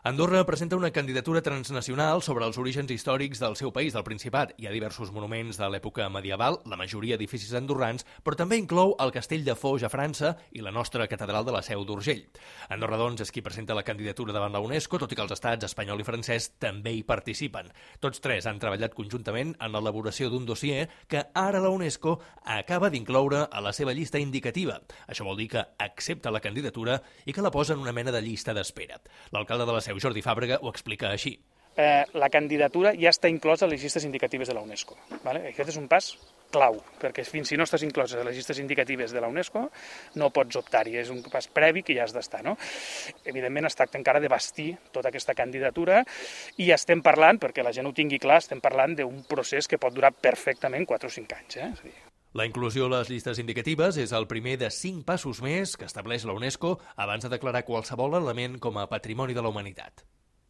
Andorra presenta una candidatura transnacional sobre els orígens històrics del seu país, del Principat. Hi ha diversos monuments de l'època medieval, la majoria edificis andorrans, però també inclou el castell de Foix a França i la nostra catedral de la Seu d'Urgell. Andorra, doncs, és qui presenta la candidatura davant la UNESCO, tot i que els estats espanyol i francès també hi participen. Tots tres han treballat conjuntament en l'elaboració d'un dossier que ara la UNESCO acaba d'incloure a la seva llista indicativa. Això vol dir que accepta la candidatura i que la posa en una mena de llista d'espera. L'alcalde de la Seu, Jordi Fàbrega, ho explica així. La candidatura ja està inclosa a les llistes indicatives de la UNESCO. Aquest és un pas clau, perquè fins si no estàs inclòs a les llistes indicatives de la UNESCO no pots optar-hi, és un pas previ que ja has d'estar. Evidentment es tracta encara de bastir tota aquesta candidatura i estem parlant, perquè la gent ho tingui clar, estem parlant d'un procés que pot durar perfectament 4 o 5 anys. La inclusió a les llistes indicatives és el primer de 5 passos més que estableix la UNESCO abans de declarar qualsevol element com a patrimoni de la humanitat.